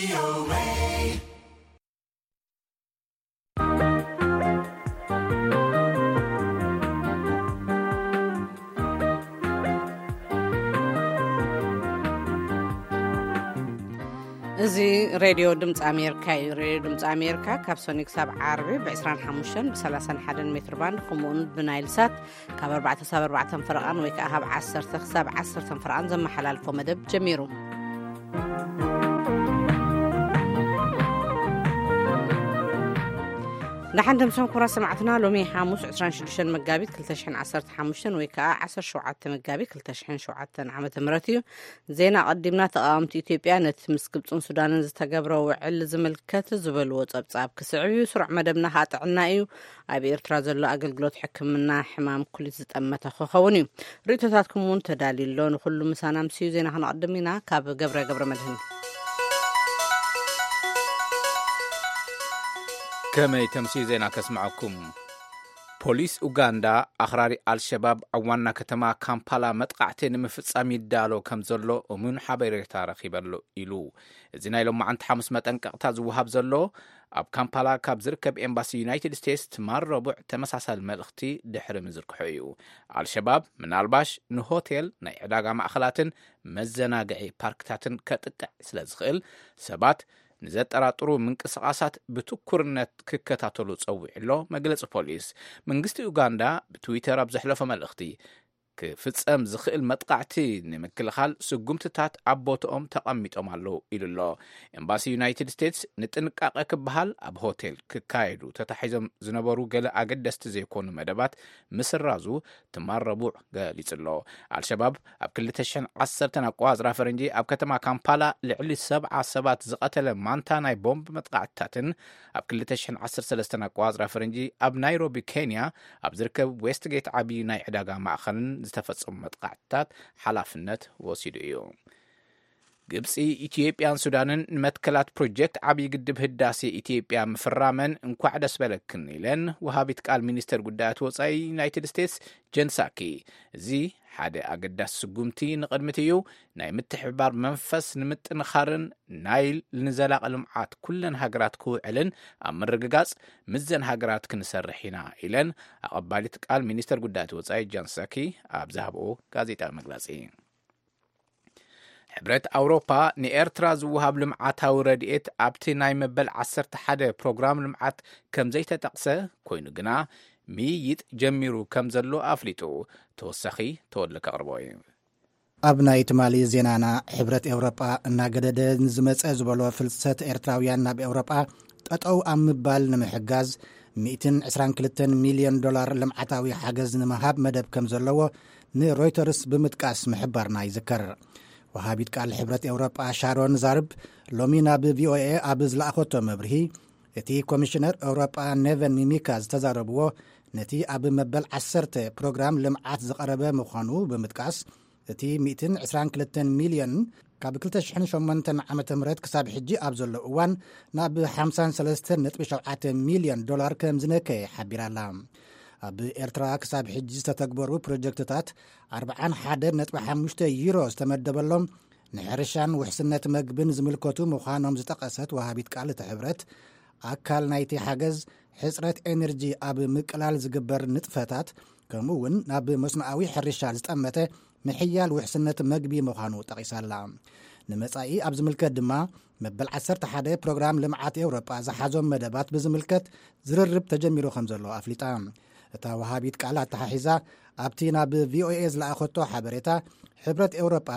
እዚ ሬድዮ ድምፂ ኣሜሪካ እዩ። ሬድዮ ድምፂ ኣሜሪካ ካብ ሰኒ ክሳብ ዓርቢ ብ25 ብ31 ሜትር ባንድ፣ ከምኡውን ብናይል ሳት ካብ ኣርባዕተ ክሳብ ኣርባዕተ ፈረቓን ወይ ከዓ ካብ ዓሰርተ ክሳብ ዓሰርተ ፈረቓን ዘመሓላልፎ መደብ ጀሚሩ። ንሓንደ ምሶም ኩራ ሰማዕትና፣ ሎሚ ሓሙስ ዕስራን ሽዱሽተን መጋቢት ክልተ ሽሕን ዓሰርተ ሓሙሽተን ወይ ከዓ ዓሰርተ ሸውዓተ መጋቢት ክልተ ሽሕን ሸውዓተን ዓመተ ምህረት እዩ። ዜና ቀዲምና። ተቃወምቲ ኢትዮጵያ ነቲ ምስ ግብፅን ሱዳንን ዝተገብረ ውዕል ዝምልከት ዝበልዎ ጸብጻብ ክስዕብ እዩ። ስሩዕ መደብና ከዓ ጥዕና እዩ። ኣብ ኤርትራ ዘሎ ኣገልግሎት ሕክምና ሕማም ኩሊት ዝጠመተ ክኸውን እዩ። ርእይቶታትኩም እውን ተዳልዩ ኣሎ። ንኩሉ ምሳና ምስዩ ዜና ክንቐድም ኢና። ካብ ገብረ ገብረ መድህን። ከመይ ተምስዩ ዜና ከስምዐኩም። ፖሊስ ኡጋንዳ ኣኽራሪ ኣልሸባብ ኣብ ዋና ከተማ ካምፓላ መጥቃዕቲ ንምፍጻም ይዳሎ ከም ዘሎ እሙን ሓበሬታ ረኺበሉ ኢሉ። እዚ ናይ ሎማዓንቲ ሓሙስ መጠንቀቕታ ዝወሃብ ዘሎ ኣብ ካምፓላ ካብ ዝርከብ ኤምባሲ ዩናይትድ ስቴትስ ትማል ረቡዕ ተመሳሳሊ መልእኽቲ ድሕሪ ምዝርግሑ እዩ። ኣልሸባብ ምናልባሽ ንሆቴል፣ ናይ ዕዳጋ ማእኸላትን መዘናግዒ ፓርክታትን ከጥቅዕ ስለ ዝኽእል፣ ሰባት ንዘጠራጥሩ ምንቅስቓሳት ብትኩርነት ክከታተሉ ጸዊዑ ኣሎ መግለጺ ፖሊስ። መንግስቲ ኡጋንዳ ብትዊተር ኣብ ዘሕለፎ መልእኽቲ፣ ክፍጸም ዝኽእል መጥቃዕቲ ንምክልኻል ስጉምትታት ኣብ ቦትኦም ተቐሚጦም ኣለዉ ኢሉ ኣሎ። ኤምባሲ ዩናይትድ ስቴትስ ንጥንቃቐ ክበሃል ኣብ ሆቴል ክካየዱ ተታሒዞም ዝነበሩ ገለ ኣገደስቲ ዘይኮኑ መደባት ምስራዙ ትማል ረቡዕ ገሊጹ ኣሎ። ኣልሸባብ ኣብ ክልተ ሽሕን ዓሰርተን ኣቆጻጽራ ፈረንጂ ኣብ ከተማ ካምፓላ ልዕሊ ሰብዓ ሰባት ዝቐተለ ማንታ ናይ ቦምብ መጥቃዕትታትን ኣብ ክልተ ሽሕን ዓሰርተ ሰለስተን ኣቆጻጽራ ፈረንጂ ኣብ ናይሮቢ ኬንያ ኣብ ዝርከብ ዌስትጌት ዓብዪ ናይ ዕዳጋ ማእኸልን ዝተፈጸሙ መጥቃዕትታት ሓላፍነት ወሲዱ እዩ። ግብፂ፣ ኢትዮጵያን ሱዳንን ንመትከላት ፕሮጀክት ዓብዪ ግድብ ህዳሴ ኢትዮጵያ ምፍራመን እንኳዕ ደስ በለክን ኢለን ወሃቢት ቃል ሚኒስተር ጉዳያት ወፃኢ ዩናይትድ ስቴትስ ጀን ሳኪ። እዚ ሓደ ኣገዳሲ ስጉምቲ ንቕድሚት እዩ። ናይ ምትሕብባር መንፈስ ንምጥንኻርን ናይል ንዘላቒ ልምዓት ኩለን ሃገራት ክውዕልን ኣብ ምርግጋፅ ምስዘን ሃገራት ክንሰርሕ ኢና ኢለን ኣቐባሊት ቃል ሚኒስተር ጉዳያት ወፃኢ ጀን ሳኪ ኣብ ዝሃብኦ ጋዜጣዊ መግለፂ። ሕብረት ኣውሮፓ ንኤርትራ ዝወሃብ ልምዓታዊ ረድኤት ኣብቲ ናይ መበል ዓሰርተ ሓደ ፕሮግራም ልምዓት ከም ዘይተጠቕሰ ኮይኑ ግና ምይይጥ ጀሚሩ ከም ዘሎ ኣፍሊጡ። ተወሳኺ ተወልደ ከቕርቦ እዩ። ኣብ ናይ ትማሊ ዜናና፣ ሕብረት ኤውሮጳ እናገደደ ንዝመጸ ዝበሎ ፍልሰት ኤርትራውያን ናብ ኤውሮጳ ጠጠው ኣብ ምባል ንምሕጋዝ ሚእትን ዕስራን ክልተን ሚልዮን ዶላር ልምዓታዊ ሓገዝ ንምሃብ መደብ ከም ዘለዎ ንሮይተርስ ብምጥቃስ ምሕባርና ይዝከር። ወሃቢት ቃል ሕብረት ኤውሮጳ ሻሮን ዛርብ ሎሚ ናብ ቪኦኤ ኣብ ዝለኣኸቶ መብርሂ፣ እቲ ኮሚሽነር ኤውሮጳ ኔቨን ሚሚካ ዝተዛረብዎ ነቲ ኣብ መበል ዓሰርተ ፕሮግራም ልምዓት ዝቐረበ ምዃኑ ብምጥቃስ፣ እቲ ሚእትን ዕስራን ክልተን ሚልዮን ካብ ክልተ ሽሕን ሸሞንተን ዓመተ ምህረት ክሳብ ሕጂ ኣብ ዘሎ እዋን ናብ ሓምሳን ሰለስተን ነጥቢ ሸውዓተ ሚልዮን ዶላር ከም ዝነከየ ሓቢራ ኣላ። ኣብ ኤርትራ ክሳብ ሕጂ ዝተተግበሩ ፕሮጀክትታት ኣርብዓን ሓደ ነጥቢ ሓሙሽተ ዩሮ ዝተመደበሎም ንሕርሻን ውሕስነት መግብን ዝምልከቱ ምዃኖም ዝጠቐሰት ወሃቢት ቃል እቲ ሕብረት፣ ኣካል ናይቲ ሓገዝ ሕጽረት ኤነርጂ ኣብ ምቅላል ዝግበር ንጥፈታት፣ ከምኡ እውን ናብ መስኖኣዊ ሕርሻ ዝጠመተ ምሕያል ውሕስነት መግቢ ምዃኑ ጠቒሳ ኣላ። ንመጻኢ ኣብ ዝምልከት ድማ፣ መበል ዓሰርተ ሓደ ፕሮግራም ልምዓት ኤውሮጳ ዝሓዞም መደባት ብዝምልከት ዝርርብ ተጀሚሩ ከም ዘሎ ኣፍሊጣ። እታ ወሃቢት ቃል ኣተሓሒዛ፣ ኣብቲ ናብ ቪኦኤ ዝለኣኸቶ ሓበሬታ፣ ሕብረት ኤውሮጳ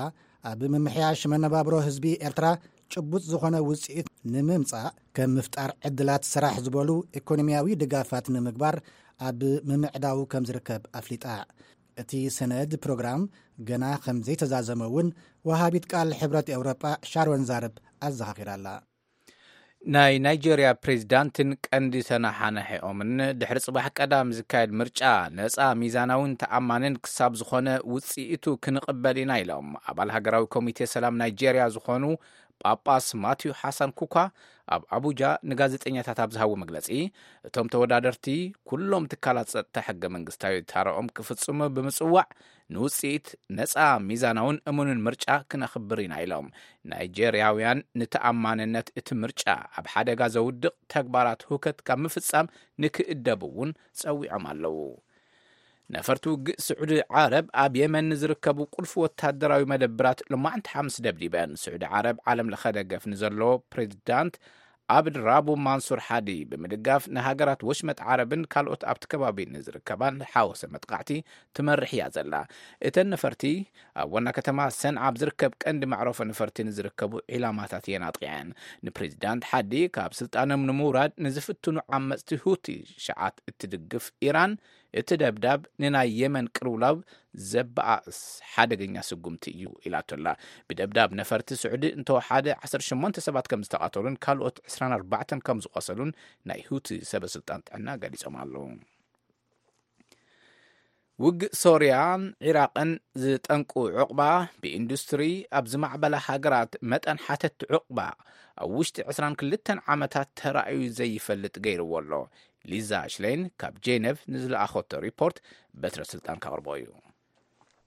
ኣብ ምምሕያሽ መነባብሮ ህዝቢ ኤርትራ ጭቡጥ ዝኾነ ውጽኢት ንምምጻእ፣ ከም ምፍጣር ዕድላት ስራሕ ዝበሉ ኢኮኖሚያዊ ድጋፋት ንምግባር ኣብ ምምዕዳው ከም ዝርከብ ኣፍሊጣ። እቲ ሰነድ ፕሮግራም ገና ከም ዘይተዛዘመ እውን ወሃቢት ቃል ሕብረት ኤውሮጳ ሻሮን ዛርብ ኣዘኻኺራ ኣላ። ናይ ናይጄርያ ፕሬዚዳንትን ቀንዲ ተነሓናሒኦምን ድሕሪ ጽባሕ ቀዳም ዝካየድ ምርጫ ነጻ፣ ሚዛናውን ተኣማንን ክሳብ ዝኾነ ውጽኢቱ ክንቕበል ኢና ኢሎም ኣባል ሃገራዊ ኮሚቴ ሰላም ናይጄርያ ዝኾኑ ጳጳስ ማቲዩ ሓሳን ኩኳ ኣብ ኣቡጃ ንጋዜጠኛታት ኣብ ዝሃቦ መግለጺ፣ እቶም ተወዳደርቲ ኩሎም ትካላት ጸጥታ ሕገ መንግስታዊ ታረኦም ክፍጽሙ ብምጽዋዕ፣ ንውጽኢት ነጻ፣ ሚዛናውን እሙንን ምርጫ ክነኽብር ኢና ኢሎም። ናይጄርያውያን ንተኣማንነት እቲ ምርጫ ኣብ ሓደጋ ዘውድቕ ተግባራት ሁከት ካብ ምፍጻም ንክእደቡ እውን ጸዊዖም ኣለዉ። ነፈርቲ ውግእ ስዑዲ ዓረብ ኣብ የመን ንዝርከቡ ቁልፊ ወታደራዊ መደብራት ሎማዕንቲ ሓሙስ ደብዲበን። ስዑዲ ዓረብ ዓለም ለኸ ደገፍ ንዘለዎ ፕሬዚዳንት ኣብድ ራቡ ማንሱር ሓዲ ብምድጋፍ ንሃገራት ወሽመጥ ዓረብን ካልኦት ኣብቲ ከባቢ ንዝርከባን ዝሓወሰ መጥቃዕቲ ትመርሕ እያ ዘላ። እተን ነፈርቲ ኣብ ዋና ከተማ ሰንዓ ኣብ ዝርከብ ቀንዲ መዕረፎ ነፈርቲ ንዝርከቡ ዒላማታት እየን ኣጥቂዐን። ንፕሬዚዳንት ሓዲ ካብ ስልጣኖም ንምውራድ ንዝፍትኑ ዓመፅቲ ሁቲ ሽዓት እትድግፍ ኢራን፣ እቲ ደብዳብ ንናይ የመን ቅልውላው ዘበኣእስ ሓደገኛ ስጉምቲ እዩ ኢላቶላ። ብደብዳብ ነፈርቲ ስዑዲ እንተወሓደ ዓሰርተ ሸሞንተ ሰባት ከም ዝተቐተሉን ካልኦት ዕስራን ኣርባዕተን ከም ዝቖሰሉን ናይ ሁቲ ሰበ ስልጣን ጥዕና ገሊጾም ኣለዉ። ውግእ ሶርያን ዒራቕን ዝጠንቁ ዕቑባ፣ ብኢንዱስትሪ ኣብ ዝማዕበላ ሃገራት መጠን ሓተቲ ዕቑባ ኣብ ውሽጢ ዕስራን ክልተን ዓመታት ተራእዩ ዘይፈልጥ ገይርዎ ኣሎ። ሊዛ ሽሌን ካብ ጄነቭ ንዝለኣኸቶ ሪፖርት በትረ ስልጣን ከቕርቦ እዩ።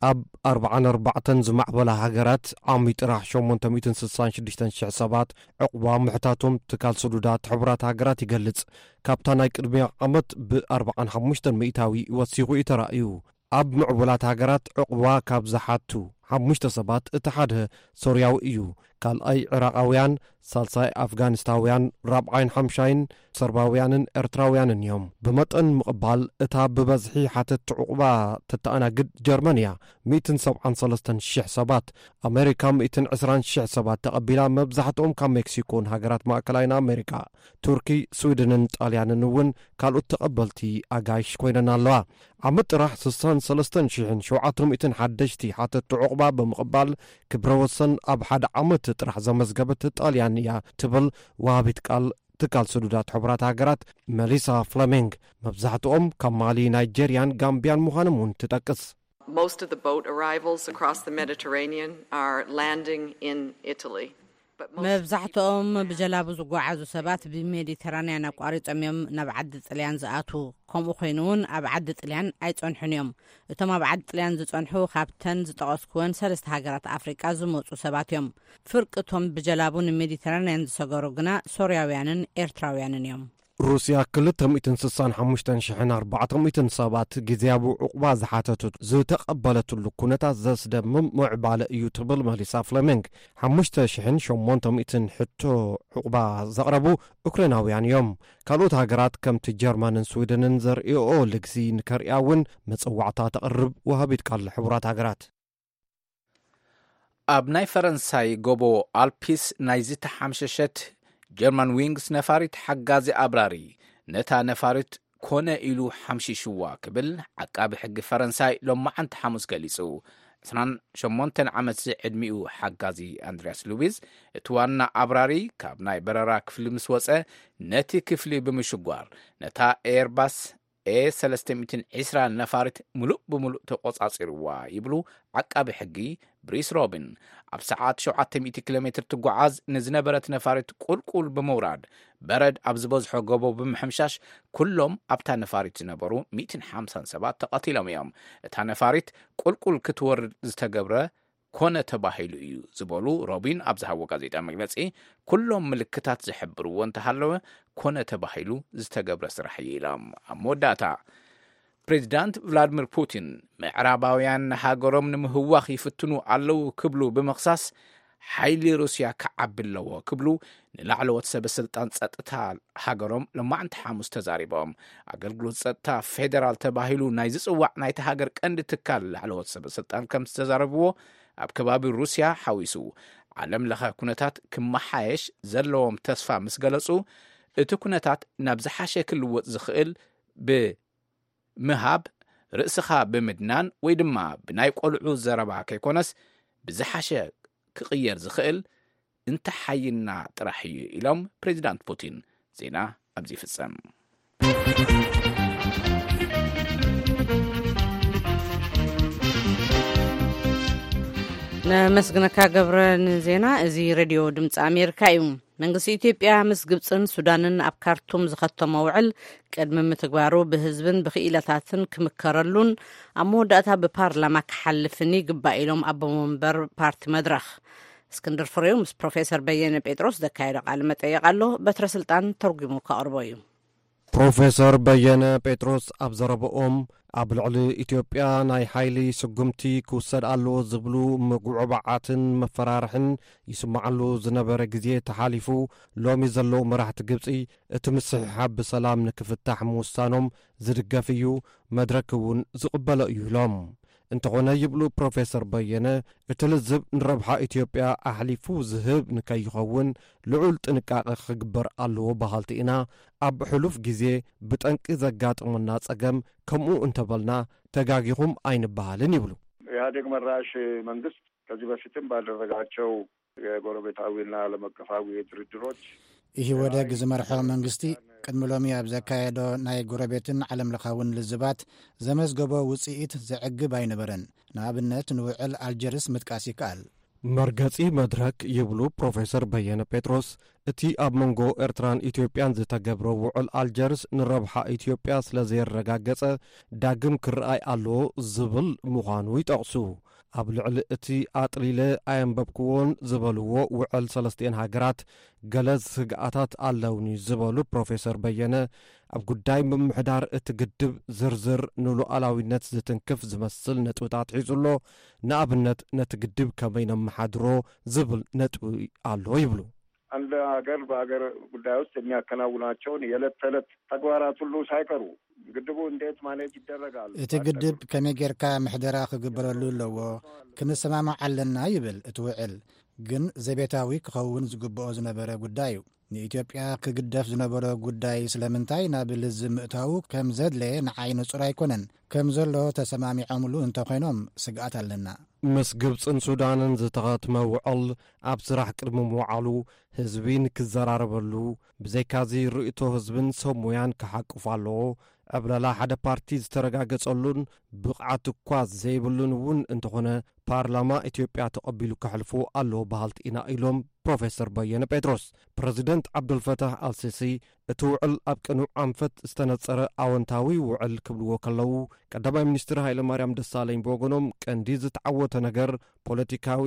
ኣብ ኣርባዓን ኣርባዕተን ዝማዕበላ ሃገራት ዓሚ ጥራሕ ሸሞንተ ሚእትን ስሳን ሽዱሽተን ሽሕ ሰባት ዕቑባ ምሕታቶም ትካል ስዱዳት ሕቡራት ሃገራት ይገልጽ። ካብታ ናይ ቅድሚያ ዓመት ብኣርባዓን ሓሙሽተን ሚእታዊ ወሲኹ እዩ ተራእዩ። ኣብ ምዕቡላት ሃገራት ዕቑባ ካብ ዝሓቱ ሓሙሽተ ሰባት እቲ ሓደ ሶርያዊ እዩ። ካልኣይ ዕራቓውያን፣ ሳልሳይ ኣፍጋኒስታውያን፣ ራብዓይን ሓምሻይን ሰርባውያንን ኤርትራውያንን እዮም። ብመጠን ምቕባል እታ ብበዝሒ ሓተቲ ዕቑባ ተተኣናግድ ጀርመን እያ፣ ሚእትን ሰብዓን ሰለስተን ሽሕ ሰባት። ኣሜሪካ ሚእትን ዕስራን ሽሕ ሰባት ተቐቢላ፣ መብዛሕትኦም ካብ ሜክሲኮን ሃገራት ማእከላይን ኣሜሪካ። ቱርኪ፣ ስዊድንን ጣልያንን እውን ካልኦት ተቐበልቲ ኣጋይሽ ኮይነን ኣለዋ። ዓመት ጥራሕ ስሳን ሰለስተን ሽሕን ሸውዓተ ሚእትን ሓደሽቲ ሓተቲ ዕቑባ ብምቕባል፣ ክብረ ወሰን ኣብ ሓደ ዓመት ጥራሕ ዘመዝገበት ጣልያን እያ ትብል ወሃቢት ቃል ትካል ስዱዳት ሕቡራት ሃገራት መሊሳ ፍለሚንግ። መብዛሕትኦም ካብ ማሊ፣ ናይጄርያን ጋምቢያን ምዃኖም እውን ትጠቅስ። Most of the boat arrivals across the Mediterranean are landing in Italy. But most of the people መብዛሕትኦም there ብጀላቡ ዝጓዓዙ ሰባት ብሜዲተራንያን ኣቋሪጾም እዮም ናብ ዓዲ ጥልያን ዝኣትዉ። ከምኡ ኮይኑ እውን ኣብ ዓዲ ጥልያን ኣይጸንሑን እዮም። እቶም ኣብ ዓዲ ጥልያን ዝጸንሑ ካብተን ዝጠቐስኩወን ሰለስተ ሃገራት ኣፍሪቃ ዝመጹ ሰባት እዮም። ፍርቂ እቶም ብጀላቡ ንሜዲተራንያን ዝሰገሩ ግና ሶርያውያንን ኤርትራውያንን እዮም። ሩስያ ክልተ ሚእትን ስሳን ሓሙሽተን ሽሕን ኣርባዕተ ሚእትን ሰባት ግዝያዊ ዕቑባ ዝሓተቱ ዝተቐበለትሉ ኩነታት ዘስደምም ምዕባለ እዩ ትብል መሊሳ ፍለሚንግ። ሓሙሽተ ሽሕን ሸሞንተ ሚእትን ሕቶ ዕቑባ ዘቕረቡ ዩክሬናውያን እዮም። ካልኦት ሃገራት ከምቲ ጀርመንን ስዊድንን ዘርእኦ ልግሲ ንከርእያ እውን መጸዋዕታ ተቕርብ ወሃቢት ቃል ሕቡራት ሃገራት። ኣብ ናይ ፈረንሳይ ጎቦ ኣልፒስ ናይ ዝተሓምሸሸት ጀርመን ዊንግስ ነፋሪት ሓጋዚ ኣብራሪ ነታ ነፋሪት ኮነ ኢሉ ሓምሺሽዋ ክብል ዓቃቢ ሕጊ ፈረንሳይ ሎማዓንቲ ሓሙስ ገሊጹ። ዕስራን ሸሞንተን ዓመት ዝዕድሚኡ ሓጋዚ ኣንድሪያስ ሉዊዝ፣ እቲ ዋና ኣብራሪ ካብ ናይ በረራ ክፍሊ ምስ ወጸ፣ ነቲ ክፍሊ ብምሽጓር ነታ ኤርባስ ኤ ሰለስተ ሚእትን ዕስራን ነፋሪት ምሉእ ብምሉእ ተቖጻጺርዋ ይብሉ ዓቃቢ ሕጊ ብሪስ ሮቢን። ኣብ ሰዓት ሸውዓተ ሚእቲ ኪሎ ሜትር ትጓዓዝ ንዝነበረት ነፋሪት ቁልቁል ብምውራድ፣ በረድ ኣብ ዝበዝሖ ጎቦ ብምሕምሻሽ፣ ኩሎም ኣብታ ነፋሪት ዝነበሩ ሚእትን ሓምሳን ሰባት ተቐቲሎም እዮም። እታ ነፋሪት ቁልቁል ክትወርድ ዝተገብረ ኮነ ተባሂሉ እዩ ዝበሉ ሮቢን ኣብ ዝሃቦ ጋዜጣ መግለጺ፣ ኩሎም ምልክታት ዝሕብርዎ እንተሃለወ ኮነ ተባሂሉ ዝተገብረ ስራሕ እዩ ኢሎም። ኣብ መወዳእታ፣ ፕሬዚዳንት ቭላድሚር ፑቲን፣ ምዕራባውያን ንሃገሮም ንምህዋኽ ይፍትኑ ኣለዉ ክብሉ ብምኽሳስ፣ ሓይሊ ሩስያ ክዓቢ ኣለዎ ክብሉ ንላዕለዎት ሰበ ስልጣን ጸጥታ ሃገሮም ሎማዕንቲ ሓሙስ ተዛሪቦም። ኣገልግሎት ጸጥታ ፌደራል ተባሂሉ ናይ ዝጽዋዕ ናይቲ ሃገር ቀንዲ ትካል ላዕለዎት ሰበ ስልጣን ከም ዝተዛረብዎ፣ ኣብ ከባቢ ሩስያ ሓዊሱ ዓለም ለኸ ኩነታት ክመሓየሽ ዘለዎም ተስፋ ምስ ገለጹ፣ እቲ ኩነታት ናብ ዝሓሸ ክልወጥ ዝኽእል ብምሃብ፣ ርእስኻ ብምድናን ወይ ድማ ብናይ ቆልዑ ዘረባ ከይኮነስ፣ ብዝሓሸ ክቕየር ዝኽእል እንተሓይልና ጥራሕ እዩ ኢሎም ፕሬዚዳንት ፑቲን። ዜና ኣብዚ ይፍጸም። ነመስግነካ ገብረ ንዜና። እዚ ሬድዮ ድምፂ ኣሜሪካ እዩ። መንግስቲ ኢትዮጵያ ምስ ግብፅን ሱዳንን ኣብ ካርቱም ዝኸተሞ ውዕል ቅድሚ ምትግባሩ ብህዝብን ብክኢላታትን ክምከረሉን ኣብ መወዳእታ ብፓርላማ ክሓልፍን ይግባእ ኢሎም ኣቦ መንበር ፓርቲ መድረኽ። እስክንድር ፍሬው ምስ ፕሮፌሰር በየነ ጴጥሮስ ዘካየዶ ቃለ መጠየቕ ኣሎ። በትረ ስልጣን ተርጉሙ ከቕርቦ እዩ። ፕሮፌሰር በየነ ጴጥሮስ ኣብ ዘረባኦም፣ ኣብ ልዕሊ ኢትዮጵያ ናይ ሓይሊ ስጉምቲ ክውሰድ ኣለዎ ዝብሉ ምጉዕባዓትን መፈራርሕን ይስምዓሉ ዝነበረ ግዜ ተሓሊፉ፣ ሎሚ ዘለዉ መራሕቲ ግብጺ እቲ ምስሕሓብ ብሰላም ንክፍታሕ ምውሳኖም ዝድገፍ እዩ፣ መድረክ እውን ዝቕበሎ እዩ ኢሎም። እንተኾነ ይብሉ ፕሮፌሰር በየነ፣ እቲ ልዝብ ንረብሓ ኢትዮጵያ ኣሕሊፉ ዝህብ ንከይኸውን ልዑል ጥንቃቐ ክግበር ኣለዎ በሃልቲ ኢና። ኣብ ሕሉፍ ግዜ ብጠንቂ ዘጋጥመና ጸገም ከምኡ እንተበልና ተጋጊኹም ኣይንበሃልን ይብሉ። ኢህአዴግ መራሽ መንግስት ከዚህ በፊትም ባደረጋቸው የጎረቤታዊና ዓለም አቀፋዊ ድርድሮች ኢህወደግ ዝመርሖ መንግስቲ ቅድሚ ሎሚ ኣብ ዘካየዶ ናይ ጎረቤትን ዓለም ለኻውን ልዝባት ዘመዝገቦ ውጽኢት ዘዕግብ ኣይነበረን። ንኣብነት ንውዕል ኣልጀርስ ምጥቃስ ይከኣል። መርገጺ መድረክ ይብሉ ፕሮፌሰር በየነ ጴጥሮስ፣ እቲ ኣብ መንጎ ኤርትራን ኢትዮጵያን ዝተገብረ ውዕል ኣልጀርስ ንረብሓ ኢትዮጵያ ስለ ዘየረጋገጸ ዳግም ክረኣይ ኣለዎ ዝብል ምዃኑ ይጠቕሱ። ኣብ ልዕሊ እቲ ኣጥሊለ ኣየንበብክዎን ዝበልዎ ውዕል ሰለስቲኤን ሃገራት ገለ ስግኣታት ኣለውኒ ዝበሉ ፕሮፌሰር በየነ፣ ኣብ ጉዳይ ምምሕዳር እቲ ግድብ ዝርዝር ንሉዓላዊነት ዝትንክፍ ዝመስል ነጥብታት ሒዙ ኣሎ። ንኣብነት ነቲ ግድብ ከመይ ነመሓድሮ ዝብል ነጥቢ ኣሎ ይብሉ። አንድ ሀገር በሀገር ጉዳይ ውስጥ የሚያከናውናቸውን የዕለት ተዕለት ተግባራት ሁሉ ሳይቀሩ ግድቡ እንዴት ማኔጅ ይደረጋል? እቲ ግድብ ከመይ ጌርካ ምሕደራ ክግበረሉ ኣለዎ ክንሰማማዕ ኣለና ይብል እቲ ውዕል። ግን ዘቤታዊ ክኸውን ዝግብኦ ዝነበረ ጉዳይ እዩ። ንኢትዮጵያ ክግደፍ ዝነበሮ ጉዳይ ስለምንታይ ናብ ልዝብ ምእታዉ ከም ዘድለየ ንዓይ ንጹር ኣይኮነን። ከም ዘሎ ተሰማሚዖምሉ እንተኾይኖም ስግኣት ኣለና። ምስ ግብጽን ሱዳንን ዝተኸትመ ውዕል ኣብ ስራሕ ቅድሚ ምውዓሉ ህዝቢ ንክዘራረበሉ፣ ብዘይካዚ ርእይቶ ህዝብን ሰብ ሞያን ክሓቁፍ ኣለዎ። ዕብለላ ሓደ ፓርቲ ዝተረጋገጸሉን ብቕዓት እኳ ዘይብሉን እውን እንተኾነ ፓርላማ ኢትዮጵያ ተቐቢሉ ከሕልፎ ኣለዎ በሃልቲ ኢና ኢሎም ፕሮፌሰር በየነ ጴጥሮስ። ፕረዚደንት ዓብዱልፈታሕ ኣልሲሲ እቲ ውዕል ኣብ ቅኑዕ ኣንፈት ዝተነጸረ ኣወንታዊ ውዕል ክብልዎ ከለዉ፣ ቀዳማይ ሚኒስትር ሃይለማርያም ደሳለኝ ብወገኖም ቀንዲ ዝተዓወተ ነገር ፖለቲካዊ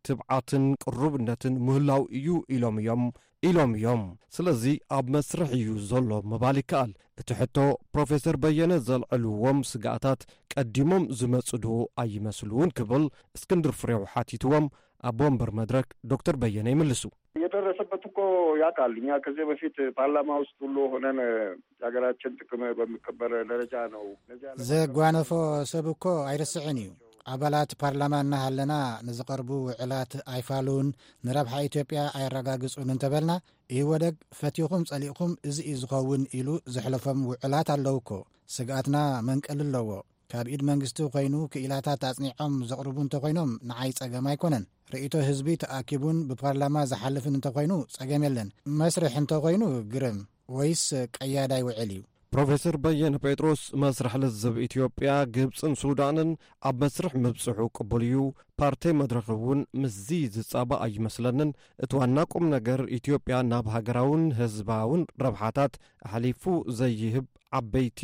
ትብዓትን ቅሩብነትን ምህላው እዩ ኢሎም እዮም ኢሎም እዮም። ስለዚ ኣብ መስርሕ እዩ ዘሎ ምባል ይከኣል። እቲ ሕቶ ፕሮፌሰር በየነ ዘልዕልዎም ስግኣታት ቀዲሞም ዝመጹ ዶ ኣይመስሉን ክብል እስክንድር ፍሬው ሓቲትዎም፣ ኣቦ ወንበር መድረክ ዶክተር በየነ ይምልሱ። የደረሰበት እኮ ያውቃል። እኛ ከዚህ በፊት ፓርላማ ውስጥ ሁሉ ሆነን የሀገራችን ጥቅም በሚከበር ደረጃ ነው። እነዚያ ዘጓነፎ ሰብ እኮ ኣይርስዕን እዩ። ኣባላት ፓርላማ እናሃለና ንዝቐርቡ ውዕላት ኣይፋሉን፣ ንረብሓ ኢትዮጵያ ኣየረጋግጹን እንተበልና፣ ኢህወደግ ፈቲኹም ጸሊእኹም እዚ እዩ ዝኸውን ኢሉ ዘሕለፎም ውዕላት ኣለዉ እኮ። ስግኣትና መንቀሊ ኣለዎ። ካብ ኢድ መንግስቲ ኮይኑ ክኢላታት ኣጽኒዖም ዘቕርቡ እንተኾይኖም ንዓይ ጸገም ኣይኮነን። ርእይቶ ህዝቢ ተኣኪቡን ብፓርላማ ዝሓልፍን እንተኾይኑ ጸገም የለን። መስርሕ እንተኾይኑ ግርም ወይስ ቀያዳይ ውዕል እዩ? ፕሮፌሰር በየነ ጴጥሮስ መስርሕ ልዝብ ኢትዮጵያ፣ ግብጽን ሱዳንን ኣብ መስርሕ ምብጽሑ ቅቡል እዩ። ፓርተይ መድረኽ እውን ምስዚ ዝጻባእ ኣይመስለንን። እቲ ዋና ቁም ነገር ኢትዮጵያ ናብ ሃገራውን ህዝባውን ረብሓታት ኣሕሊፉ ዘይህብ ዓበይቲ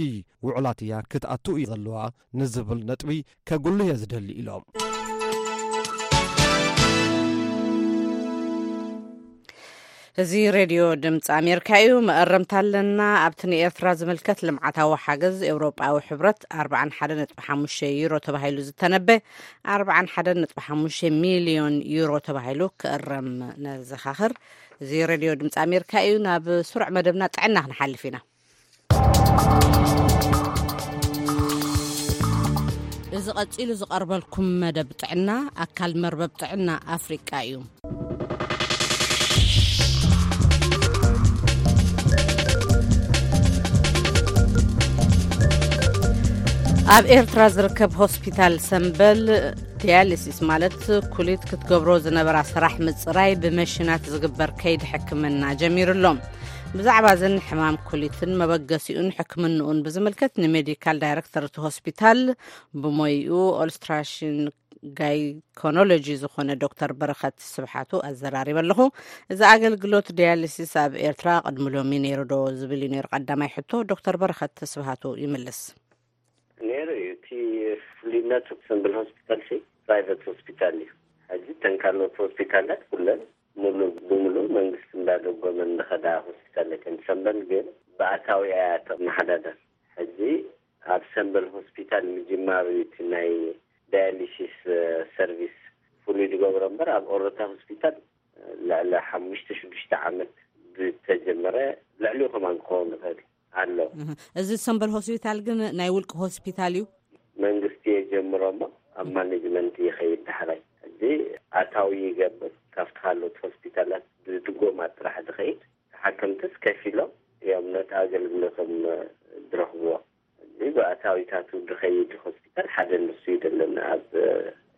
ውዕላት እያ ክትኣቱ እዩ ዘለዋ ንዝብል ነጥቢ ከጉልህ እየ ዝደሊ ኢሎም። እዚ ሬድዮ ድምፂ ኣሜሪካ እዩ። መእረምታ ኣለና። ኣብቲ ንኤርትራ ዝምልከት ልምዓታዊ ሓገዝ ኤውሮጳዊ ሕብረት ኣርባዓን ሓደን ነጥቢ ሓሙሽተ ዩሮ ተባሂሉ ዝተነበ ኣርባዓን ሓደን ነጥቢ ሓሙሽተ ሚልዮን ዩሮ ተባሂሉ ክእረም ነዘኻኽር። እዚ ሬድዮ ድምፂ ኣሜሪካ እዩ። ናብ ስሩዕ መደብና ጥዕና ክንሓልፍ ኢና። እዚ ቀጺሉ ዝቐርበልኩም መደብ ጥዕና ኣካል መርበብ ጥዕና ኣፍሪቃ እዩ። ኣብ ኤርትራ ዝርከብ ሆስፒታል ሰምበል ዲያሊሲስ ማለት ኩሊት ክትገብሮ ዝነበራ ስራሕ ምጽራይ ብመሽናት ዝግበር ከይዲ ሕክምና ጀሚሩ ኣሎ። ብዛዕባ እዝን ሕማም ኩሊትን መበገሲኡን ሕክምንኡን ብዝምልከት ንሜዲካል ዳይሬክተር እቲ ሆስፒታል ብሞይኡ ኦልስትራሽን ጋይኮኖሎጂ ዝኾነ ዶክተር በረኸት ስብሓቱ ኣዘራሪበ ኣለኹ። እዚ ኣገልግሎት ዲያሊሲስ ኣብ ኤርትራ ቅድሚ ሎሚ ነይሩ ዶ ዝብል እዩ ነይሩ ቀዳማይ ሕቶ። ዶክተር በረኸት ስብሓቱ ይምልስ። ነይሩ እዩ። እቲ ፍሉይነቱ ሰምብል ሆስፒታል ሲ ፕራይቬት ሆስፒታል እዩ። ሕጂ እተን ካልኦት ሆስፒታላት ኩለን ሙሉ ብሙሉ መንግስቲ እንዳደጎመ እንደኸዳ ሆስፒታል እየን። ሰምበል ግን ብኣታዊ እያ ተመሓዳደር። ሕጂ ኣብ ሰምበል ሆስፒታል ምጅማሩ እቲ ናይ ዳያሊሲስ ሰርቪስ ፍሉይ ዝገብሮ እምበር ኣብ ኦሮታ ሆስፒታል ልዕሊ ሓሙሽተ ሽዱሽተ ዓመት ዝተጀመረ፣ ልዕሊኡ ከማን ክኸውን ይኽእል ኣሎ። እህ፣ እዚ ሰምበል ሆስፒታል ግን ናይ ውልቂ ሆስፒታል እዩ። መንግስቲ የጀምሮ እሞ ኣብ ማኔጅመንት ይኸይድ ዳሕራይ። እዚ ኣታዊ ይገብር፣ ካብቲ ካልኦት ሆስፒታላት ብድጎማ ጥራሕ ዝኸይድ። ተሓከምትስ ከፊሎም እዮም ነቲ ኣገልግሎቶም ዝረኽብዎ። እዚ ብኣታዊታቱ ዝኸይድ ሆስፒታል ሓደ ንሱ እዩ ዘለና ኣብ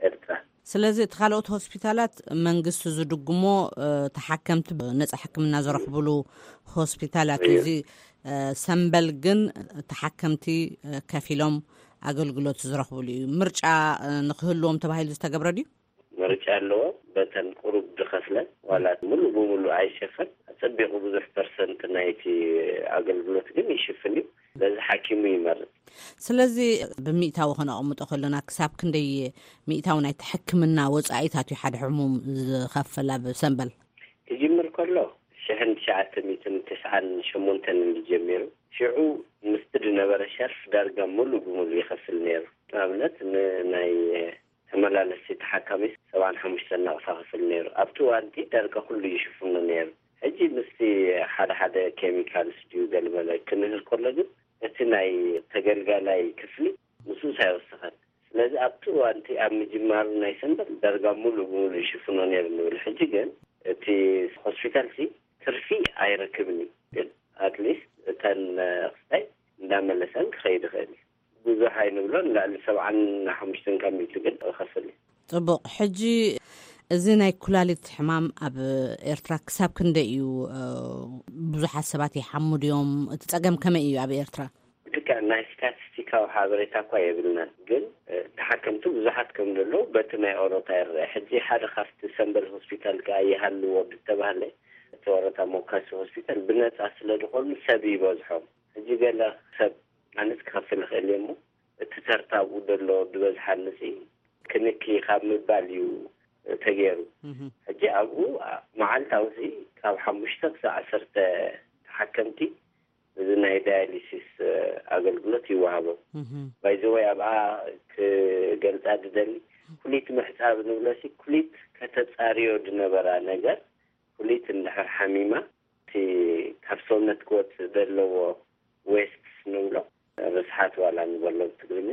ኤርትራ። ስለዚ እቲ ካልኦት ሆስፒታላት መንግስቲ ዝድግሞ፣ እ፣ ተሓከምቲ ነጻ ሕክምና ዝረኽብሉ ሆስፒታላት እዩ። እዩ። እዚ፣ እ፣ ሰምበል ግን ተሓከምቲ፣ እ፣ ከፊሎም ኣገልግሎት ዝረኽብሉ እዩ። ምርጫ፣ እ፣ ንክህልዎም ተባሂሉ ዝተገብረ ድዩ? ምርጫ ኣለዎ። በተን ቁሩብ ዝኸፍለን ዋላ ሙሉ ብሙሉ ኣይሸፈን፣ ኣጸቢቑ ብዙሕ ፐርሰንት ናይቲ ኣገልግሎት ግን ይሽፍን እዩ። ስለዚ ሓኪሙ ይመርጽ። ስለዚ ብሚእታዊ ከነቐምጦ ከለና ክሳብ ክንደይ ሚእታዊ ናይቲ ሕክምና ወጻኢታት እዩ ሓደ ሕሙም ዝኸፍል ኣብ ሰምበል? ክጅምር ከሎ ሽሕን ትሽዓተ ሚእትን ተስዓን ሸሞንተን እዩ ጀሚሩ። ሽዑ ምስቲ ዝነበረ ሸርፍ ዳርጋ ሙሉ ብሙሉ ይኸፍል ነይሩ። ንኣብነት ንናይ ተመላለስቲ ተሓካሚ ሰብዓን ሓሙሽተን ናቕፋ ክፍል ነይሩ። ኣብቲ እዋንቲ ዳርጋ ኩሉ ይሽፍኖ ነይሩ። ሕጂ ምስቲ ሓደ ሓደ ኬሚካልስ ድዩ ገለመለ ክንህር ከሎ ግን እቲ ናይ ተገልጋላይ ክፍሊ ምስኡስ ኣይወሰኸን። ስለዚ ኣብቲ እዋንቲ ኣብ ምጅማሩ ናይ ሰንበት ዳርጋ ሙሉ ብሙሉ ይሽፍኖ ነይሩ ንብል። ሕጂ ግን እቲ ሆስፒታል ሲ ትርፊ ኣይረክብን እዩ። ግን ኣትሊስት እተን ክስታይ እንዳመለሰን ክኸይድ ይኽእል እዩ። ብዙሕ ኣይንብሎን፣ ልዕሊ ሰብዓን ሓሙሽተን ካብ ሚእቲ ግን ይኸፍል እዩ። ጽቡቕ። ሕጂ እዚ ናይ ኩላሊት ሕማም ኣብ ኤርትራ ክሳብ ክንደይ እዩ? እ፣ ብዙሓት ሰባት ይሓሙ ድዮም? እቲ ጸገም ከመይ እዩ ኣብ ኤርትራ? ልክዕ፣ ናይ ስታቲስቲካዊ ሓበሬታ እኳ የብልናን፣ ግን፣ እ፣ ተሓከምቲ ብዙሓት ከም ዘለዉ በቲ ናይ ኦሮታ ይረአ። ሕጂ ሓደ ካብቲ ሰምበል ሆስፒታል ከኣ ይሃልዎ ዝተባህለ፣ እቲ ኦሮታ ሞካሲ ሆስፒታል ብነጻ ስለ ዝኾኑ ሰብ ይበዝሖም። ሕጂ ገለ ሰብ ኣነስ ክኸፍል ይኽእል እየ እሞ፣ እቲ ተርታ ኣብኡ ዘሎ ዝበዝሓ ንሲ ክንኪ ካብ ምባል እዩ ተገይሩ። እህ። ሕጂ ኣብኡ መዓልታዊ ሲ ካብ ሓሙሽተ ክሳብ ዓሰርተ ተሓከምቲ እዚ ናይ ዳያሊሲስ ኣገልግሎት ይወሃቦም። እህ። ባይዘወይ ኣብኣ ክገልጻ ዝደሊ፣ ኩሊት ምሕጻብ ንብሎ ሲ ኩሊት ከተጻርዮ ዝነበራ ነገር፣ ኩሊት እንድሕር ሓሚማ እቲ ካብ ሰውነት ክወጽእ ዘለዎ ዌስትስ ንብሎ፣ ርስሓት ዋላ ንበሎ ብትግርኛ፣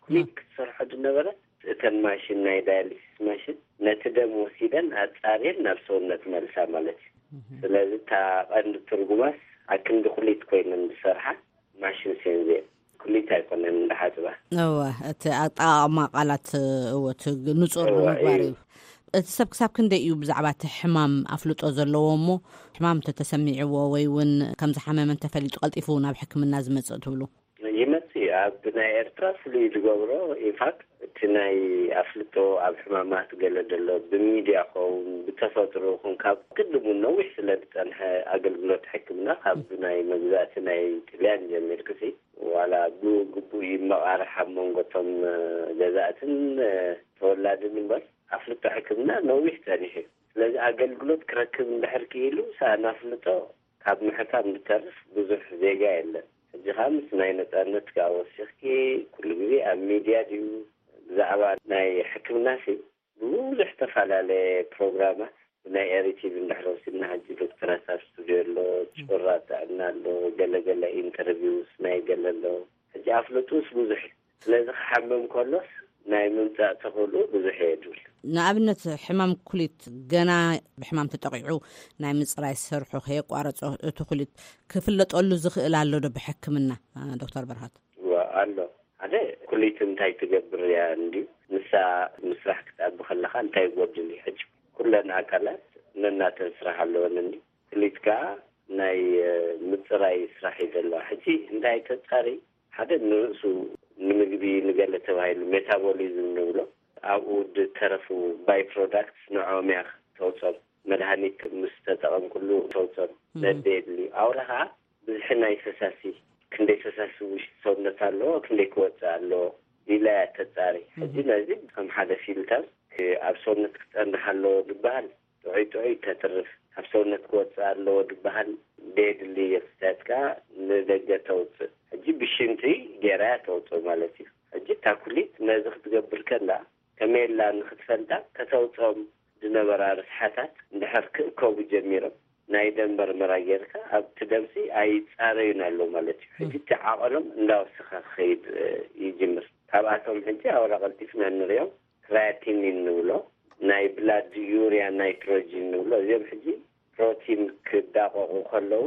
ኩሊት ክትሰርሖ ዝነበረት እተን ማሽን፣ ናይ ዳያሊሲስ ማሽን፣ ነቲ ደም ወሲደን ኣጻርየን ናብ ሰውነት መልሳ ማለት እዩ። እህ። ስለዚ እታ ቀንዲ ትርጉማስ ኣክንዲ ኩሊት ኮይነን ዝሰርሓ ማሽን ሴንዜ ኩሊት ኣይኮነን እንዳሓጽባ። እወ፣ እቲ ኣጠቓቕማ ቃላት፣ እወ፣ እቲ ንጹር እወ፣ ንምግባር እዩ። እዩ። እቲ ሰብ ክሳብ ክንደይ እዩ ብዛዕባ እቲ ሕማም ኣፍልጦ ዘለዎ እሞ፣ ሕማም እንተተሰሚዕዎ ወይ እውን ከም ዝሓመመ እንተፈሊጡ ቀልጢፉ ናብ ሕክምና ዝመጽእ ትብሉ? ይመጽእ እዩ። ኣብ ናይ ኤርትራ ፍሉይ ዝገብሮ፣ ኢንፋክት፣ እቲ ናይ ኣፍልጦ ኣብ ሕማማት ገለ ዘሎ ብሚድያ ኸውን ብተፈጥሮ ኹን ካብ ቅድሙ ነዊሕ ስለ ዝጸንሐ ኣገልግሎት ሕክምና ካብ ናይ መግዛእቲ ናይ ጥልያን ጀሚርክሲ ዋላ ብግቡእ ይመቓርሕ ኣብ መንጎ እቶም፣ እ፣ ገዛእትን፣ እ፣ ተወላድን እምበር ኣፍልጦ ሕክምና ነዊሕ ጸኒሑ እዩ። ስለዚ ኣገልግሎት ክረክብ እንድሕር ክኢሉ ሰኣን ኣፍልጦ ካብ ምሕካም ዝተርፍ ብዙሕ ዜጋ የለን። ሕጂ ኸኣ ምስ ናይ ነጻነት ከኣ ወሲኽኪ ኩሉ ግዜ ኣብ ሚድያ ድዩ ብዛዕባ ናይ ሕክምና ሲ ብዙሕ ተፈላለየ ፕሮግራማት ብናይ ኤሪ ቲቪ እንድሕር ወሲድና ሕጂ ዶክተራት ኣብ ስቱድዮ ኣሎ፣ ጭራ ጥዕና ኣሎ፣ ገለገለ ኢንተርቪውስ ናይ ገለ ኣሎ። ሕጂ ኣፍልጡስ ብዙሕ እዩ። ስለዚ ክሓምም ከሎስ ናይ ምምጻእ ተኽእልኡ ብዙሕ እየ ዝብል። ንኣብነት ሕማም ኩሊት ገና ብሕማም ተጠቒዑ ናይ ምጽራይ ስርሑ ከየቋረጾ እቲ ኩሊት ክፍለጠሉ ዝኽእል ኣሎ ዶ ብሕክምና፣ እ፣ ዶክተር በርሃት? እወ፣ ኣሎ። ሓደ ኩሊት እንታይ ትገብር እያ እንድዩ? ንሳ ምስራሕ ክትኣቢ ከለኻ እንታይ ይጎድል እዩ? ሕጂ ኩለን ኣካላት ነናተን ስራሕ ኣለወን እንድዩ። ኩሊት ከኣ ናይ፣ እ፣ ምጽራይ ስራሕ እዩ ዘለዋ። ሕጂ እንታይ ተጻሪ ሓደ ንርእሱ ንምግቢ ንገለ ተባሂሉ ሜታቦሊዝም ንብሎ ኣብኡ ዝተረፉ ባይ ፕሮዳክትስ ንዕኦም እያ ተውፅኦም። መድሃኒት ምስ ተጠቐምኩሉ ተውፅኦም። ነደ የድልዩ። ኣውራ ከዓ ብዝሒ ናይ ፈሳሲ፣ ክንደይ ፈሳሲ ውሽጢ ሰውነት ኣለዎ፣ ክንደይ ክወፅእ ኣለዎ ኢላ እያ ተፃሪ። ሕጂ ነዚ ከም ሓደ ፊልተር፣ እ፣ ኣብ ሰውነት ክፀንሕ ኣለዎ ዝበሃል ጥዑይ ጥዑይ ተትርፍ፣ ኣብ ሰውነት ክወፅእ ኣለዎ ዝበሃል ደየድሊ የፍስያት ከዓ ንደገ ተውፅእ። ሕጂ ብሽንቲ ገይራ እያ ተውፅእ ማለት እዩ። ሕጂ እታ ኩሊት ነዚ ክትገብር ከላ ከመይ ኢላ ንክትፈልጣ፣ ከተውፅኦም ዝነበራ ርስሓታት እንድሕር ክእከቡ ጀሚሮም፣ ናይ ደም መርመራ ጌርካ ኣብቲ ደምሲ ኣይፃረዩን ኣሎ ማለት እዩ። ሕጂ እቲ ዓቐኖም እንዳወሰኸ ክኸይድ፣ እ፣ ይጅምር። ካብኣቶም ሕጂ ኣውራ ቀልጢፍና እንሪኦም ክራያቲኒን ንብሎ፣ ናይ ብላድ ዩሪያ ናይትሮጂን ንብሎ። እዚኦም ሕጂ ፕሮቲን ክዳቐቑ ከለዉ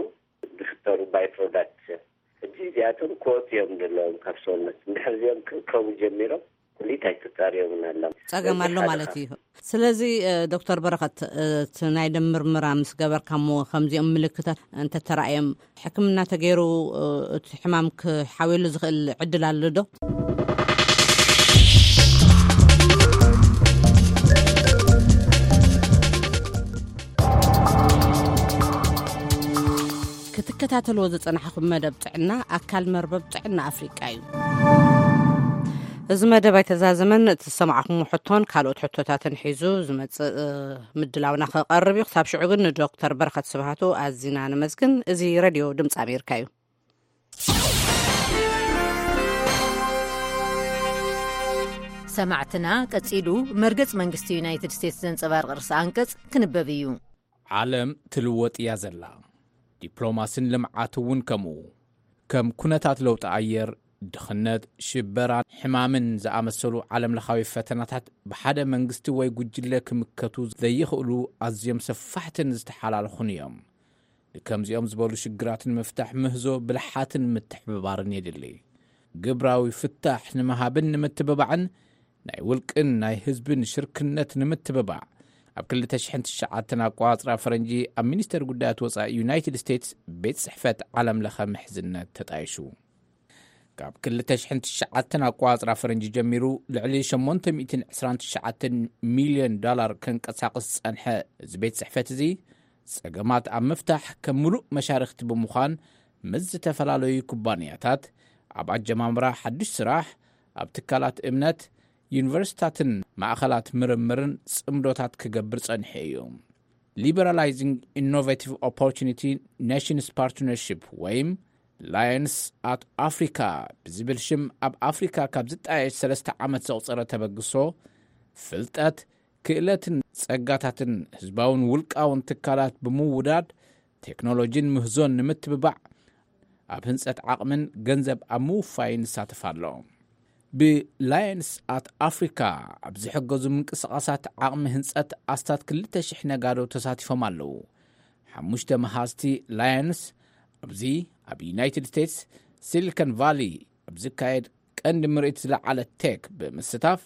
ዝፍጠሩ ባይ ፕሮዳክትስ እዮም። ሕጂ እዚኣቶም ክወፁ እዮም ዘለዎም ካብ ሰውነት። እንድሕር እዚኦም ክእከቡ ጀሚሮም፣ ኩሊት ኣይተፃርዮምን ኣላ። ጸገም ስለዚ ኣሎ ሓደ ማለት ካብ እዩ። ስለዚ፣ እ፣ ዶክተር በረኸት፣ እ፣ እቲ ናይ ደም ምርመራ ምስ ገበርካ እሞ ከምዚኦም ምልክታት እንተተራእዮም፣ ሕክምና ተገይሩ፣ እ፣ እቲ ሕማም ክሓውየሉ ዝኽእል ዕድል ኣሎ ዶ? ክትከታተልዎ ዝጸናሕኩም መደብ ጥዕና ኣካል መርበብ ጥዕና ኣፍሪቃ እዩ። እዚ መደብ ኣይተዛዘመን። እቲ ዝሰማዕኹም ሕቶን ካልኦት ሕቶታትን ሒዙ ዝመጽእ፣ እ፣ ምድላውና ክቐርብ እዩ። ክሳብ ሽዑ ግን ንዶክተር በረኸት ስብሃቱ ኣዚና ነመስግን። እዚ ሬድዮ ድምፂ ኣሜሪካ እዩ። ሰማዕትና፣ ቀጺሉ መርገጽ መንግስቲ ዩናይትድ ስቴትስ ዘንጸባርቕ ርእሰ ኣንቀጽ ክንበብ እዩ። ዓለም ትልወጥ እያ ዘላ። ዲፕሎማስን ልምዓት እውን ከምኡ። ከም ኩነታት ለውጢ ኣየር፣ ድኽነት፣ ሽበራን ሕማምን ዝኣመሰሉ ዓለምለኻዊ ፈተናታት ብሓደ መንግስቲ ወይ ጉጅለ ክምከቱ ዘይኽእሉ ኣዝዮም ሰፋሕትን ዝተሓላለኹን እዮም። ንከምዚኦም ዝበሉ ሽግራት ንምፍታሕ ምህዞ ብልሓትን ምትሕብባርን የድሊ። ግብራዊ ፍታሕ ንምሃብን ንምትብባዕን ናይ ውልቅን ናይ ህዝብን ሽርክነት ንምትብባዕ፣ ኣብ ክልተ ሽሕን ትሽዓተን ኣቋጽራ ፈረንጂ ኣብ ሚኒስተር ጉዳያት ወጻኢ ዩናይትድ ስቴትስ ቤት ጽሕፈት ዓለምለኸ ምሕዝነት ተጣይሹ። ካብ ክልተ ሽሕን ትሽዓተን ኣቋጽራ ፈረንጂ ጀሚሩ ልዕሊ ሸሞንተ ሚእትን ዕስራን ትሽዓተን ሚልዮን ዶላር ከንቀሳቕስ ዝጸንሐ እዚ ቤት ጽሕፈት እዚ፣ ጸገማት ኣብ ምፍታሕ ከም ምሉእ መሻርኽቲ ብምዃን፣ ምስ ዝተፈላለዩ ኩባንያታት ኣብ ኣጀማምራ ሓድሽ ስራሕ፣ ኣብ ትካላት እምነት፣ ዩኒቨርሲታትን ማእኸላት ምርምርን ጽምዶታት ክገብር ጸኒሑ እዩ። Liberalizing Innovative Opportunity Nations Partnership ወይም ላየንስ ኣት ኣፍሪካ ብዝብል ሽም ኣብ ኣፍሪካ ካብ ዝጣየሽ ሰለስተ ዓመት ዘቑጸረ ተበግሶ፣ ፍልጠት፣ ክእለትን ጸጋታትን ህዝባውን ውልቃውን ትካላት ብምውዳድ ቴክኖሎጂን ምህዞን ንምትብባዕ ኣብ ህንጸት ዓቕምን ገንዘብ ኣብ ምውፋይን ይሳተፍ ኣሎ። ብላየንስ ኣት ኣፍሪካ ኣብ ዝሕገዙ ምንቅስቓሳት ዓቕሚ ህንጸት ኣስታት ክልተ ሽሕ ነጋዶ ተሳቲፎም ኣለዉ። ሓሙሽተ መሃዝቲ ላየንስ ኣብዚ ኣብ ዩናይትድ ስቴትስ ሲሊኮን ቫሊ ኣብ ዝካየድ ቀንዲ ምርኢት ዝለዓለ ቴክ ብምስታፍ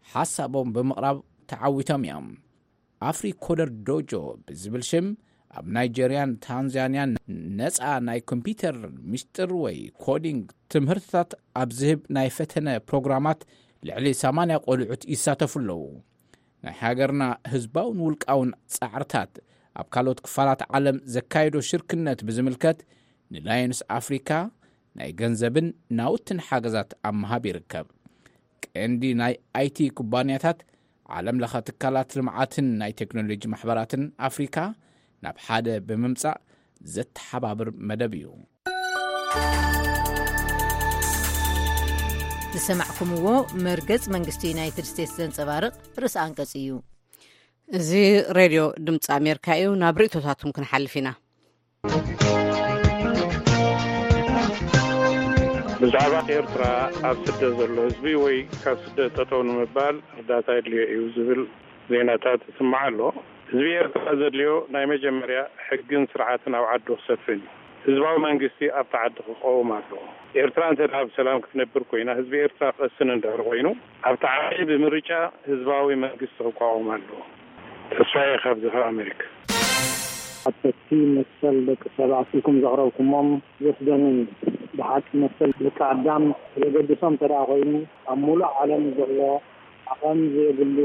ሓሳቦም ብምቕራብ ተዓዊቶም እዮም። ኣፍሪ ኮደር ዶጆ ብዝብል ሽም ኣብ ናይጀርያን ታንዛንያን ነፃ ናይ ኮምፒውተር ምስጢር ወይ ኮዲንግ ትምህርትታት ኣብ ዝህብ ናይ ፈተነ ፕሮግራማት ልዕሊ ሰማንያ ቆልዑት ይሳተፉ ኣለዉ። ናይ ሃገርና ህዝባውን ውልቃውን ጻዕርታት ኣብ ካልኦት ክፋላት ዓለም ዘካየዶ ሽርክነት ብዝምልከት ንላየንስ ኣፍሪካ ናይ ገንዘብን ናውትን ሓገዛት ኣብ ምሃብ ይርከብ። ቀንዲ ናይ ኣይቲ ኩባንያታት፣ ዓለም ለኸ ትካላት ልምዓትን ናይ ቴክኖሎጂ ማሕበራትን ኣፍሪካ ናብ ሓደ ብምምጻእ ዘተሓባብር መደብ እዩ። ዝሰማዕኩምዎ መርገጽ መንግስቲ ዩናይትድ ስቴትስ ዘንጸባርቕ ርእሰ ኣንቀጽ እዩ። እዚ ሬድዮ ድምፂ ኣሜሪካ እዩ። ናብ ርእቶታትኩም ክንሓልፍ ኢና። ብዛዕባ ኤርትራ ኣብ ስደት ዘሎ ህዝቢ ወይ ካብ ስደት ጠጠው ንምባል እርዳታ የድልዮ እዩ ዝብል ዜናታት ይስማዕ ኣሎ። ህዝቢ ኤርትራ ዘድልዮ ናይ መጀመርያ ሕግን ስርዓትን ኣብ ዓዱ ክሰፍን እዩ። ህዝባዊ መንግስቲ ኣብቲ ዓዲ ክቀውም ኣለዎ። ኤርትራ እንተ ደኣ ብሰላም ክትነብር ኮይና፣ ህዝቢ ኤርትራ ክቐስን እንድሕር ኮይኑ፣ ኣብቲ ዓዲ ብምርጫ ህዝባዊ መንግስቲ ክቋወም ኣለዎ። ተስፋዬ ካብዚ ካብ ኣሜሪካ። ሓተቲ መሰል ደቂ ሰባት ኢልኩም ዘቕረብኩሞም ዘስደምም እዩ። ብሓቂ መሰል ደቂ ኣዳም ዘገድሶም እንተ ደኣ ኮይኑ፣ ኣብ ሙሉእ ዓለም ዘሎ ዓቐን ዘይብሉ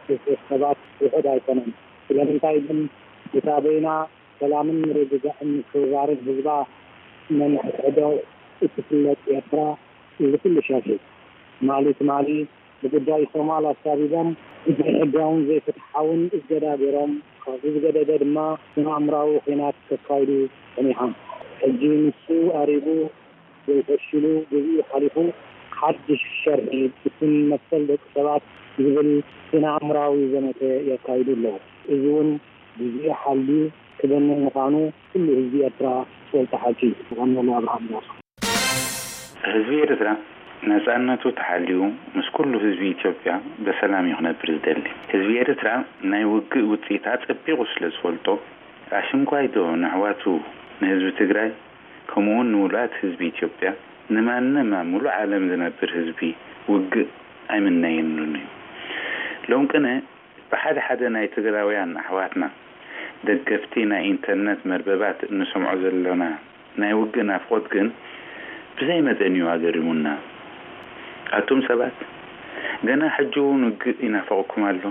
ግፍዒ ሰባት ውሑድ ኣይኮነን። ስለምንታይ ግን እታ በይና ሰላምን ምርግጋእን ምክብባርን ህዝባ ነንሕድሕዶ እትፍለጥ ኤርትራ፣ እዚ ኩሉ ሸርሒ ትማሊ ትማሊ ብጉዳይ ሶማል ኣሳቢቦም ዘይሕጋውን ዘይፍትሓውን እገዳ ገይሮም፣ ካብዚ ዝገደደ ድማ ስነ ኣእምራዊ ኹናት ከካይዱ ጸኒሖም። ሕጂ ንሱ ኣሪጉ ወይ ፈሺሉ፣ ግዜኡ ሓሊፉ፣ ሓድሽ ሸርሒ ብስም መሰል ደቂ ሰባት ዝብል ስነ ኣእምራዊ ዘመተ የካይዱ ኣለዉ። እዚ እውን ግዜኡ ሓልዩ ክበንን ምዃኑ ኩሉ ህዝቢ ኤርትራ ዝፈልጦ ሓቂ እዩ። የቐንየለይ ኣብርሃም ዳሱ። ህዝቢ ኤርትራ ነጻነቱ ተሓልዩ ምስ ኩሉ ህዝቢ ኢትዮጵያ ብሰላም እዩ ክነብር ዝደሊ። ህዝቢ ኤርትራ ናይ ውግእ ውጽኢት ኣጸቢቑ ስለ ዝፈልጦ፣ ኣሽንኳይ ዶ ንኣሕዋቱ ንህዝቢ ትግራይ ከምኡውን ንሙሉኣት ህዝቢ ኢትዮጵያ ንማንም ኣብ ሙሉእ ዓለም ዝነብር ህዝቢ ውግእ ኣይምነየሉን እዩ። ሎም ቅነ ብሓደ ሓደ ናይ ትግራውያን ኣሕዋትና ደገፍቲ ናይ ኢንተርነት መርበባት እንሰምዖ ዘሎና ናይ ውግእ ናፍቖት ግን ብዘይ መጠን እዩ ኣገሪሙና። ኣቱም ሰባት፣ ገና ሕጂ እውን ውግእ ይናፍቐኩም ኣሎ።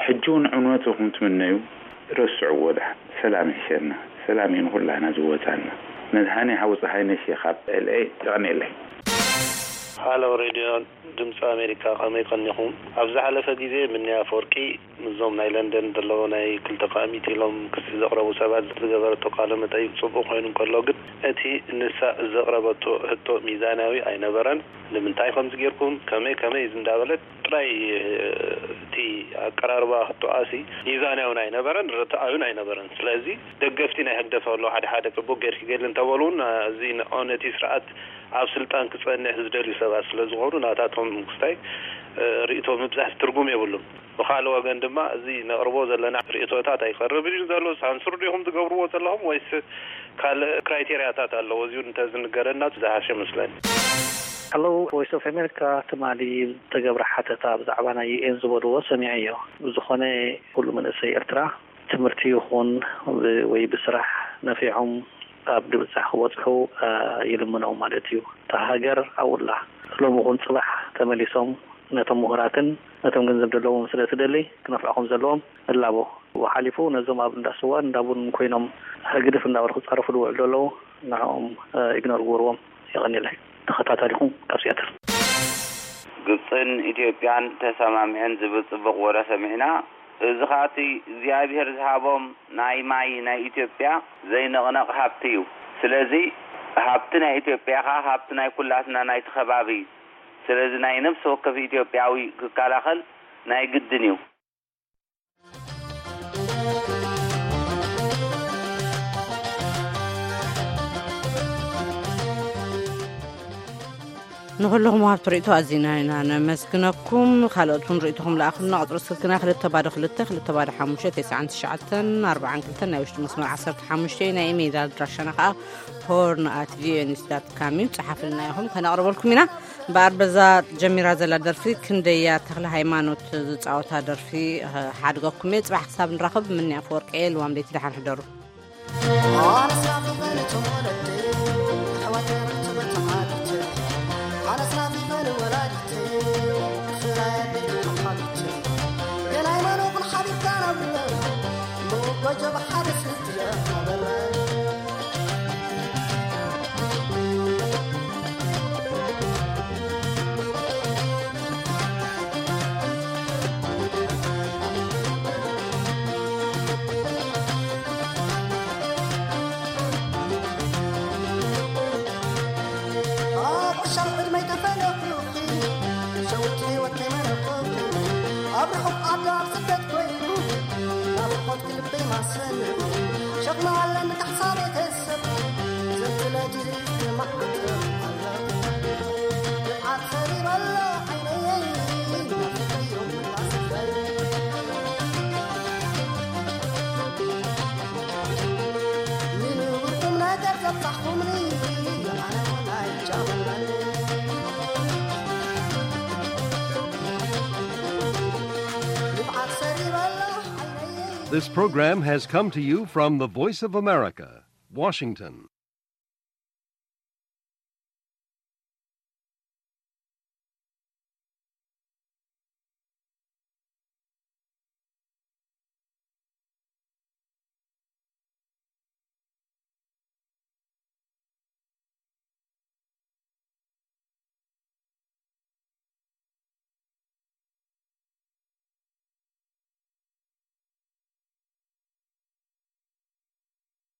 ሕጂ እውን ዕንወት ኢኹም ትምነዩ፣ ረስዕዎ ደሓን። ሰላም ይሕሸና። ሰላም እዩ ንኹላና ዝወጻና። መድሃኔ ሓው ጸሃይነሽ እየ ካብ ኤል ኤ። የቐንየለይ። ሃሎ ሬድዮ ድምፂ ኣሜሪካ፣ ከመይ ቀኒኹም? ኣብ ዝሓለፈ ግዜ ምንያ ኣፈወርቂ ምስዞም ናይ ለንደን ዘለዉ ናይ ክልተ ሚእቲ ኢሎም ክሲ ዘቕረቡ ሰባት ዝገበረቶ ቃለ መጠይቕ ጽቡቕ ኮይኑ እንከሎ፣ ግን እቲ ንሳ ዘቕረበቶ ሕቶ ሚዛናዊ ኣይነበረን። ንምንታይ ከምዚ ጌርኩም፣ ከመይ ከመይ እንዳበለት ጥራይ፣ እቲ ኣቀራርባ ሕቶኣሲ ሚዛናዊን ኣይነበረን፣ ርትዓዊን ኣይነበረን። ስለዚ ደገፍቲ ናይ ህግደፍ ኣለዉ፣ ሓደ ሓደ ጽቡቕ ጌርኪ ገሊ እንተበሉ እውን፣ እዚ ንዖ ነቲ ስርዓት ኣብ ስልጣን ክጸንሕ ዝደልዩ ሰባት ስለ ዝኾኑ፣ ናታቶም ክስታይ ርእይቶ ምብዛሕ ትርጉም የብሉን። ብኻልእ ወገን ድማ፣ እዚ ነቕርቦ ዘለና ርእይቶታት ኣይቐርብን እዩ ዘሎ፣ ሳንሱር ዲኹም ትገብርዎ ዘለኹም ወይስ ካልእ ክራይቴርያታት ኣለዎ? እዚውን እንተዝንገረና ዝሓሸ መስለኒ። Hello Voice of America፣ ትማሊ ዝተገብረ ሓተታ ብዛዕባ ናይ ዩ ኤን ዝበልዎ ሰሚዐዮ። ብዝኾነ፣ ኩሉ መንእሰይ ኤርትራ ትምህርቲ ይኹን ወይ ብስራሕ ነፊዖም ኣብ ድብጻሕ ክበጽሑ ይልምኖም ማለት እዩ። እታ ሃገር ኣብኡ ኣላ። ሎሚ ይኹን ጽባሕ ተመሊሶም ነቶም ምሁራትን ነቶም ገንዘብ ዘለዎም ስለ ትደሊ ክነፍዑ ከም ዘለዎም እላቦ። ብኡ ሓሊፉ ነዞም ኣብ እንዳ ስዋን እንዳ ቡንን ኮይኖም ህግድፍ እንዳበሉ ክጻረፉ ዝውዕሉ ዘለዉ ንዕኦም ኢግኖር ግበርዎም። የቐንየለይ። ተኸታታሊኹም ካብ ሲያትል። ግብጽን ኢትዮጵያን ተሰማሚዐን ዝብል ጽቡቕ ወረ ሰሚዕና። እዚ ኸኣ እቲ እግዚኣብሄር ዝሃቦም ናይ ማይ ናይ ኢትዮጵያ ዘይንቕነቕ ሃብቲ እዩ። ስለዚ ሃብቲ ናይ ኢትዮጵያ ኸኣ ሃብቲ ናይ ኩላትና ናይቲ ከባቢ እዩ። ስለዚ ናይ ነፍሲ ወከፍ ኢትዮጵያዊ ክከላኸል ናይ ግድን እዩ። ንኹልኹም ወሃብቲ ርእይቶ ኣዚና ኢና ነመስግነኩም። ካልኦት እውን ርእይቶኹም ለኣኹልና። ቁጽሪ ስልክና ክልተ ባዶ ክልተ፣ ክልተ ባዶ ሓሙሽተ፣ ተስዓን ትሽዓተን፣ ኣርባዓን ክልተን፣ ናይ ውሽጢ መስመር ዓሰርተ ሓሙሽተ እዩ። ናይ ኢሜይል ኣድራሻና ከኣ ሆርን ኣት ቪኦኤ ኒውስ ዳት ካም እዩ። ጸሓፍልና ኢኹም፣ ከነቕርበልኩም ኢና። እምበኣር በዛ ጀሚራ ዘላ ደርፊ ክንደያ ተኽለ ሃይማኖት ዝጻወታ ደርፊ ሓድገኩም እየ። ጽባሕ ክሳብ ንራኸብ፣ ምኒ ኣፈወርቂ እየ። ልዋም ለይቲ ደሓን ሕደሩ። This program has come to you from the Voice of America, Washington.